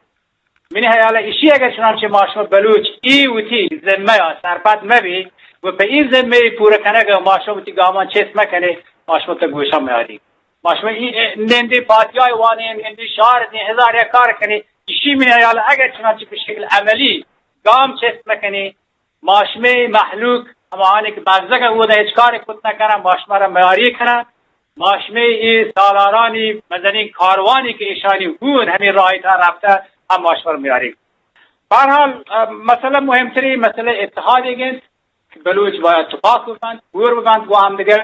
منی حیال ء ایشی، اگر چنانچہ ما شما بلوچ ای وتی ذمہ ء سرپد مہ بی و پہ ای ذمہ ء پورہ کنگ ء ما شما وتی گامان چست مہ کنیں، ما شما تہ گوشاں میاری۔ ما شما ای نندی پاتیای وانیں، نندی شعر دیں، ہزار یک کار کنیں، ایشی منی حیال ء اگر چنانچہ بہ شکل عملی گام چست مہ کنیں، ما شمئے مہلوک ہماہانی کہ بزگ ء اودا ہچ کارے کت نہ کنن، ما شما را میاری کنن۔ ما شمئے اے سالارانی مزنیں کاروانی کہ ایشانی ہون ہمے راہی تہا رپتہ، ہم ما شما را میاری کنن۔ بہرحال، ا، مسئلہ مہمترین مسئلہ اتحادیگ انت کہ بلوچ باید تپاک ببنت، ہور ببنت گوں ہمدگر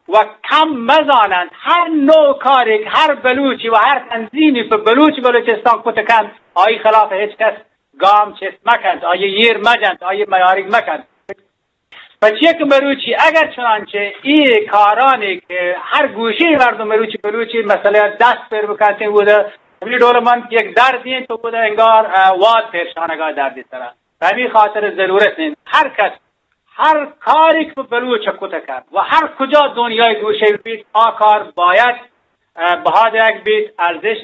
و کم مزاننت۔ ہر نوع کارے کہ ہر بلوچی و ہر تنظیمی پہ بلوچ بلوچستان کت کنت، آئی خلاف ہچ کس گام چست مکنت، آئی ایر مجنت، آئی میاریگ مکنت۔ پچے کہ مروچی اگر چنانچہ ای کارانی کہ ہر گوشی مردم مروچی بلوچی مسئلہ دست پر بکنت، وہ دا ہمیں ڈول من یک دردی تو وہ دا انگار، اه، واد پریشانگا دردی سرا۔ ہمیں خاطر ضرورت انت ہر کس ہر کاری کہ بلوچ کت کنت و ہر کجا دنیای گوشے بیت، آ کار باید، اه، بہا دیگ بیت، ارزش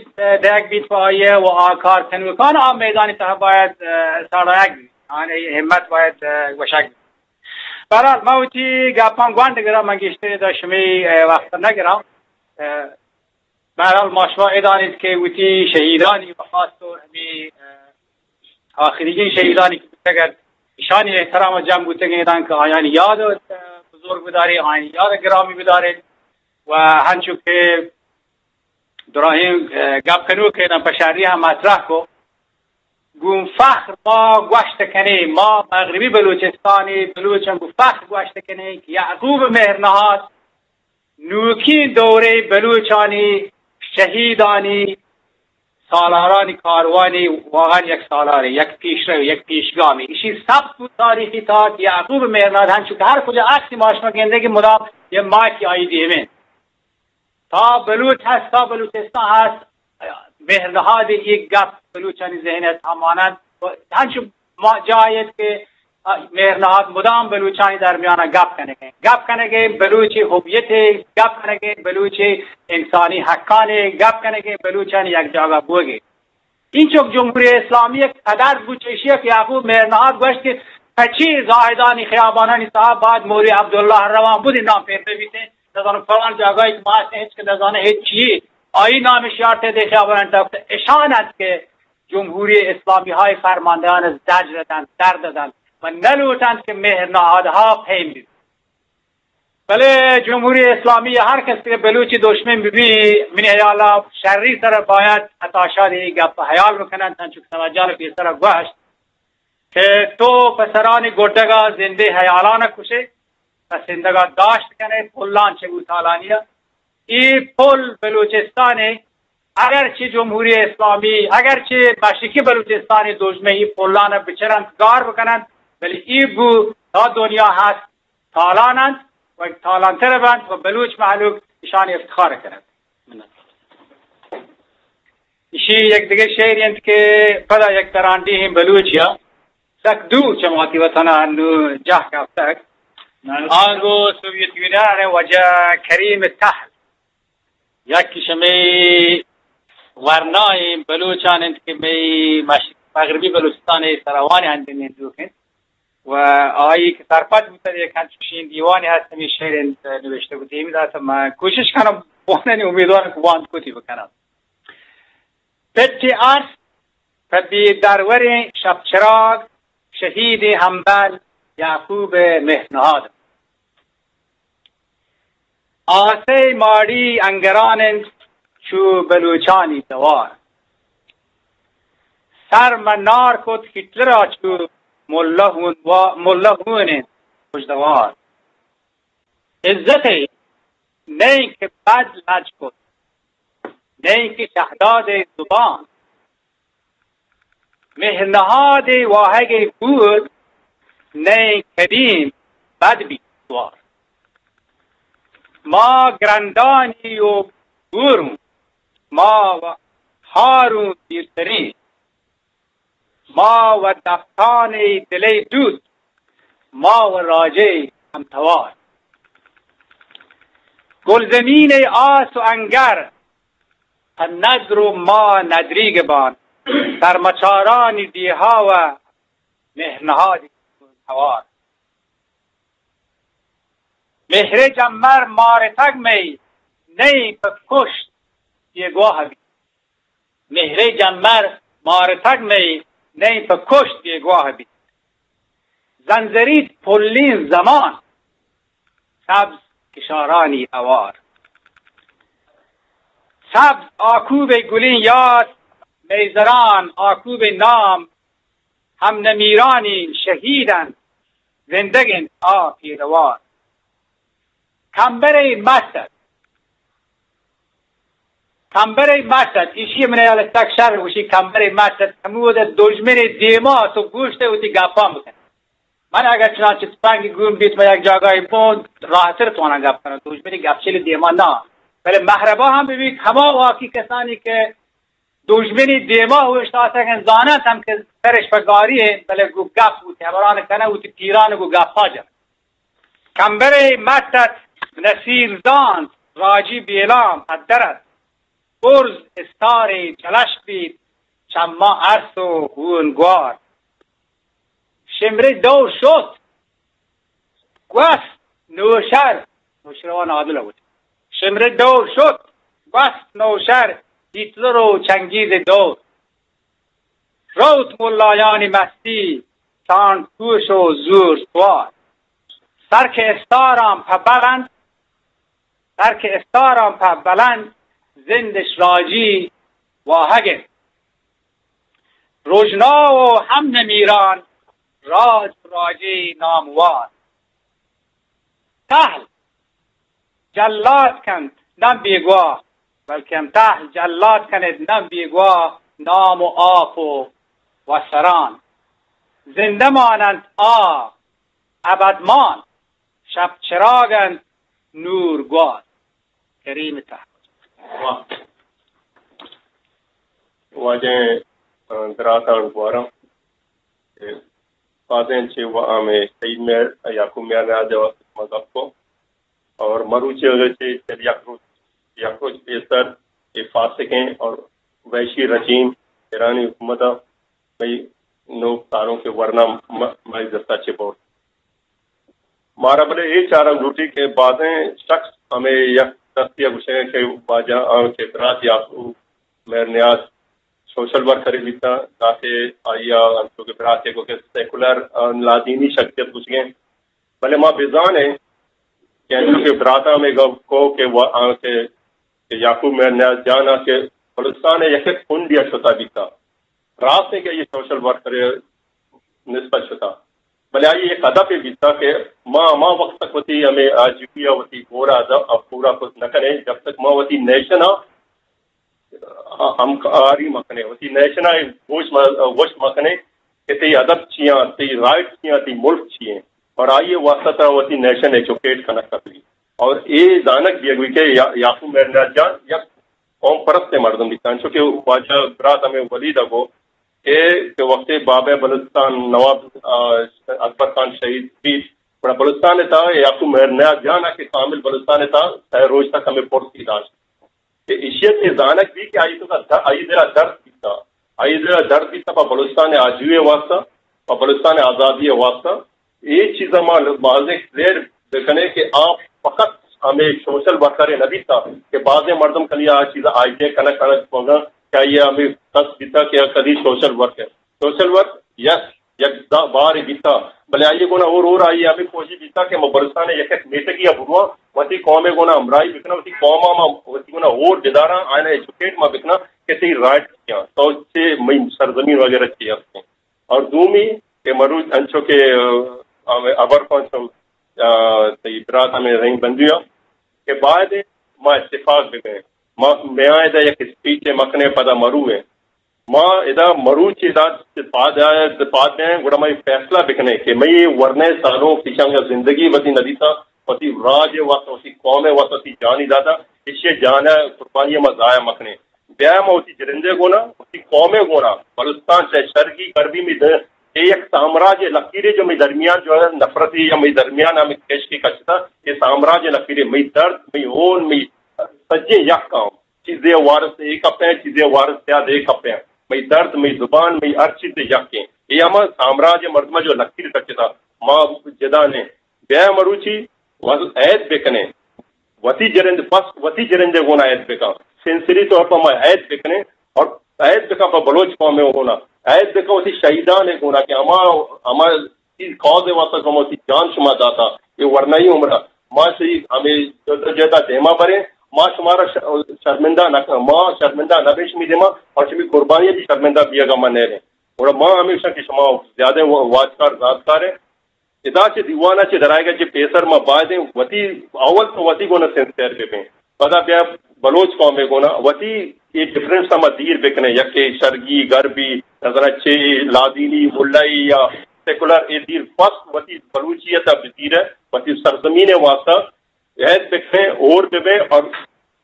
دیگ بیت پہ آئی ء و آ کار کنوکان آ میدانی تہا باید، اه، ساڑایگ بیت، آنی ہمت باید، اه، گوشگ بیت۔ بہرحال، ما وتی گپاں گونڈ گراں، من گیشتر دا شمی، اه، وقت نہ گراں۔ اه، بہرحال، ما شما اے دانیت کہ وتی شہیدانی و خاص طور ہمے، اه، آخریگیں شہیدانی کہ بوتگ ات، ایشانی احترام ء جم بوتگیں داں کہ آیانی یاد، اه، بزرگ بداریں، آیانی یاد گرامی بداریں و ہنچو کہ دراہیں، اه، گپ کنوکیں پہ شری ہم مطرح کو، گوں فخر ما گوشت کنیں، ما مغربی بلوچستانی بلوچاں گوں فخر گوشت کنیں کہ یعقوب مہرنہاد نوکیں دورے بلوچانی شہیدانی سالارانی کاروانی واہان یک سالارے، یک پیشرو، یک پیشگامی۔ اشی ثبت و تاریخی تاک یعقوب مہرنہاد ہنچو کہ ہر کجا عکسی ما شما گندے کہ مدام یہ ماکی آئی دیمیں۔ تا بلوچ ہست، تا بلوچستان ہست، مہرنہاد یک گپ بلوچانی ذہن ء مانند و ہنچو ما جاہیت کہ مہرنہاد مدام بلوچانی درمیان گپ کنگے، گپ کنگے بلوچی ہویت، گپ کنگے بلوچی انسانی حقانی، گپ کنگے بلوچانی یک جاگہ بوگے۔ اینچک جمہوری اسلامی یک قدر بوت، ایشی کہ یعقوب مہرنہاد گوشت کہ پچی زاہدانی خیابانانی صاحب بعد موری عبداللہ روان بودی نام پیر ببیتے، نزانو فلان جاگاہی کہ ما ہست ہچ کہ نزانو ہچ چی، آئی نام شیارتے دے خیابان انت۔ اشان انت کہ جمہوری اسلامی ہای فرماندہان زجر دنت، درد دنت و نلوٹنت کہ مہرنہادہا پیم ببیت۔ بلے جمہوری اسلامی ہر کس کہ بلوچی دشمن ببی، منی حیالا شری سر باید عطا شاد ای گپ حیال بکننت، انچو کہ سمجھان پیسر گوشت کہ تو پسرانی گڈگا زندے حیالان کشے، پسندگا داشت کنے، پلان چہ بوتالانیا۔ ای پل بلوچستان اگرچہ جمہوری اسلامی، اگرچہ مشرقی بلوچستان دژمن ای پلان بچرنت، گار بکننت، بلے ای بو تا دنیا ہست تالان انت و تالانتر بنت و بلوچ مہلوک اشانی افتخار کننت۔ اشی یک دگہ شعر انت کہ پدا یک ترانڈی ہیں بلوچیا سک دور چماتی وطنا انو جاہ کافتگ۔ آنگو سوویت یونین وجہ کریم تہل۔ یکی شمئے ورنائیں بلوچان انت کہ مئے مش-، مغربی بلوچستان ء سراوان ہندیں نندوک انت و آئی کہ سرپد بوتگ، یک انچوشیں دیوانے ہست، ہمے شعر انت نوشتہ کت۔ ہمے دات من کوشش کنم بوانانی، امیدوارم کہ وانت کتی بکنم۔ پت ارس پہ بے دروریں شپ چراگ، شہیدیں ہمبل یعقوب مہرنہاد۔ آسے ماڑی انگران انت چو بلوچانی توار۔ سر مہ نار کت ہٹلرا چو ملا ہون وا-، ملا ہون انت خوشدوار۔ عزتے نئیں کہ بد لج کت، نئیں کہ شہداد زبان۔ مہرنہاد واہگ گور نئیں کدیم بد بیت توار۔ ما گرندانی و گوروں، ما و ہاروں دیرتریں، ما و دفتان دلے دوت، ما و راجے ہمتوار۔ گلزمین آس و انگر پہ ندر و ما ندریگ بان، سرمچارانی ڈیہا و مہرنہادی توار۔ مہر جمر مارتگ مئی نئیں پہ کشت بیگواہ بیت۔ مہر جمر مارتگ مئی نئیں پہ کشت بیگواہ بیت۔ زنزریت پلیں زمان سبز کشارانی ہوار۔ سبز آکوب گلیں یاد میزران، آکوب نام ہم نمیرانی شہید انت، زندگ انت آ پیدوار۔ کمبرے مست ات۔ کمبرے مست ات۔ ایشی من یال تک شر گوشی کمبرے مست ات۔ ہمود دژمن دیما تو گوشت وتی گپان بکن۔ من اگر چنانچہ تپنگ گون بیت، من یک جاگاہی بون راحتر توانا گپ کنم۔ دژمن گپچل دیما نہ۔ بلے مہربا ہم ببیت، ہما واقعی کسانی کہ دژمنی دیما اوشتاتگ انت، زاننت ہم کہ سرش پہ گاری انت، بلے گوں گپ وتی ہبران کنگ، وتی پیران گوں گپا جنت۔ کمبرے مٹ ات، نصیر زانت، راجی بیلام پدر ات۔ برز استارے جلش بیت، چماں ارس و ہون گوار۔ شمرے دور شت، گوست نوشر، نوشروان عادل بود۔ شمرے دور شت، گوست نوشہر، ہٹلر و چنگیز دور. روت ملایانی مستی، سانڈ کوش و زور سوار. سر کہ استاراں پہ بلند، سر کہ استاراں پہ بلند، زندش راجی واہگ انت. رژنا و ہم نمیران، راج و راجی ناموار. تہل جلات کنت نہ بیگواہ، بلکن تہل جلات کنت نہ بیگواہ، نام و آپ و وسران. زندہ ماننت آ ابدمان، شپ چراگ انت نور گوار. کریم تہل. واجہ، آ، براتاں گوارم کہ بازیں چہ و ہمے شہید مہر، یعقوب مہر نیاز ءِ واستہ ما گپ کو اور مروچی ءَ چہ چل یک روچ، یک روچ پیسر اے فاسقیں اور وحشی رجیم ایرانی حکومت ءَ مئی نوک تاروں کے ورنا م-، مئی دستا چہ برت. مارا بلے اے چارگ لوٹی کہ بازیں شخص ہمے یک دستی ءَ گوشگ کہ واجہ آں کہ برات یعقوب مہر نیاز سوشل ورکرے بیتا، تاکہ آئی ءَ انچو کہ براتے گو کہ سیکولر، آ، لادینی شخصیت گوشگیں. بلے ما بزانیں کہ انچو کہ براتا ہمے گپ کو کہ وا-، آں کہ، کہ یعقوب مہر نیاز جان ءَ کہ بلوچستان ءِ یک یک کنڈی ءَ شتا بیتا. راست ہے کہ یہ سوشل ورکر نسبت شتا، بلے آئی یک ہدفے بیتا کہ ما ہما وقت تک وتی ہمے آجوئی ءَ وتی گور ءَ اد-، ءَ پورا کت نہ کنیں، جب تک ما وتی نیشن ءَ ہمکاری مہ کنیں، وتی نیشن ءَ گوش مہ، گوشت مہ کنیں کہ تئی ادب چیاں، تئی رائٹ چیاں، تئی ملک چی ہیں، اور آئی ءِ واسطہ ترا وتی نیشن ایجوکیٹ کنگ کپی. اور اے زانگ بیگ بی کہ یا-، یعقوب مہر نیاز جان یک قوم پرست مردم بیتا، انچو کہ واجہ برات ہمے ولید ءَ گو کہ، کہ وقتے بابا بلوچستان نواب، آ، اکبر خان شہید بیت، گڑا بلوچستان ءِ تہا یعقوب مہر نیاز جان ءَ کہ کامل بلوچستان ءِ تہا سئے روچ تک ہمے پرسی داشت. کہ ایشی ءَ چہ زانگ بی کہ آئی تو کا د-، آئی دل ءَ درد بیتا، آئی دل ءَ درد بیتا پہ بلوچستان ءِ آجوئی ءِ واسطہ، پہ بلوچستان ءِ آزادی ءِ واسطہ. اے چیزاں ما بازیں کلیئر بکنیں کہ آ فقط ہمے سوشل ورکر نہ بیتا کہ بازیں مردم کلی آ چیز آئیڈیا کنگ کنگ بوگا کہ آئی ہمے کس بیتا کہ کدی سوشل ورک ہے. سوشل ورک، یس، یک دا بار بیتا، بلے آئی گونا اور اور آئی ہمے کوشش بیتا کہ ما بلوچستان یک یک میتگی ءَ برواں، وتی قوم گونا ہمراہی بکناں، وتی قوم ما وتی گونا اور بداراں، آئین ایجوکیٹ ما بکناں کہ تئی رائٹ کیا، تو چے مئی سرزمین وغیرہ چی ہستیں. اور دومی کہ مروچ انچو کہ، آ، ہمے ابر پنچ، آ، تئی برات ہمے رحیم بندویا کہ باید ما اتفاق بکنیں. ما میاں ادا یک اسپیچ مکنیں پدا مرویں. ما ادا مروچی ادا پاد، پاد بیں، گڑا ما فیصلہ بکنیں کہ مئی ورنے سالوں پیشان زندگی وتی ندیتا، وتی راج واسطہ، وتی قوم واسطہ، وتی جانی داتا، ایشی جان قربانی ما ضائع مکنیں. بیا ما وتی جرندے گونا، وتی قومے گونا، بلوچستان چاہے شرقی، غربی، مئی در-، اے یک سامراج لکیرے جو مئی درمیان جو ہے نفرتی یا مئی درمیان ہمیں کش کے کچتا، یہ سامراج لکیرے مئی درد، مئی ہون، مئی سجے یک کام. چیزے وارث اے کپیں، چیزے وارث زیاد اے کپیں. مئی درد، مئی زبان، مئی ہر چیز یک ہیں. یہ ہما سامراج مردم جو لکیر کچتا، ما جدا نے. بیا مروچی وز عید بکنیں. وتی جرند پس، وتی جرندے گونا عید بکن. سینسری طور پر ما عید بکنیں اور عید بکن پر بلوچ قوم گونا. عید بکن وتی شہیدان گونا کہ ہما، ہما چیز کاز واسطہ کہ ما وتی جان شما داتا. یہ ورنائی عمرہ. ما شہید ہمیں جدا جدا دیما بریں. ما شمارا ش-، شرمندہ نہ کن-، ما شرمندہ نہ بیں شمی دیما اور شمی قربانی بھی شرمندہ بیگا ما نہ ریں. اور ما ہمیشہ کہ شما زیادہ وا-، واجکار، زادکار ہیں. ادا چہ دیوانا چہ درائیگا چہ پیسر ما بایدیں وتی، اول تو وتی گونا سنسیئر بہ بیں. پدا بیا بلوچ قوم گونا وتی اے ڈفرنس ما دیر بکنیں، یکے شرگی، غربی، نظر چے، لادینی، ملائی یا سیکولر، اے دیر پس وتی بلوچیت بدیر، وتی سرزمین واسطہ عہد بکنیں، اور ببیں اور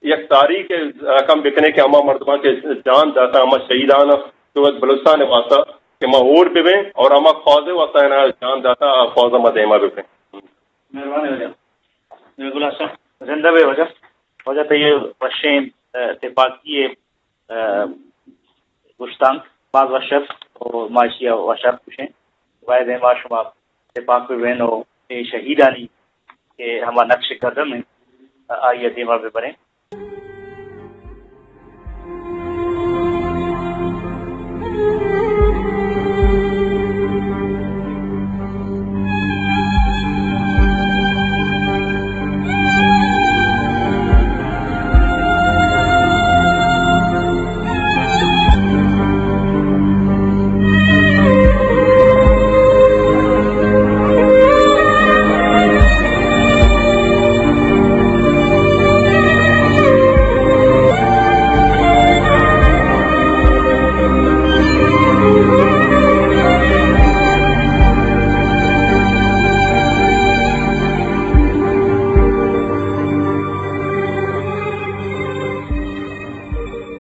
یک تاریخ رقم بکنیں کہ ہما مردماں کہ جان داتا، ہما شہیدان کہ وت بلوچستان واسطہ کہ ما اور ببیں اور ہما قاضی واسطہ انا جان داتا، آ قاضی ما دیما ببیں۔ مہربانی واجہ۔ گل حسن، زندہ بے واجہ۔ واجہ تو یہ وشیں، اه، تپاکی، اه، گشتانک باز وش ات و ما ایشی ء وش ات گوشیں۔ باید ایں ما شما تپاک بہ بین و اے شہیدانی کہ ہما نقش قدم انت، آئی ء دیما بہ بریں۔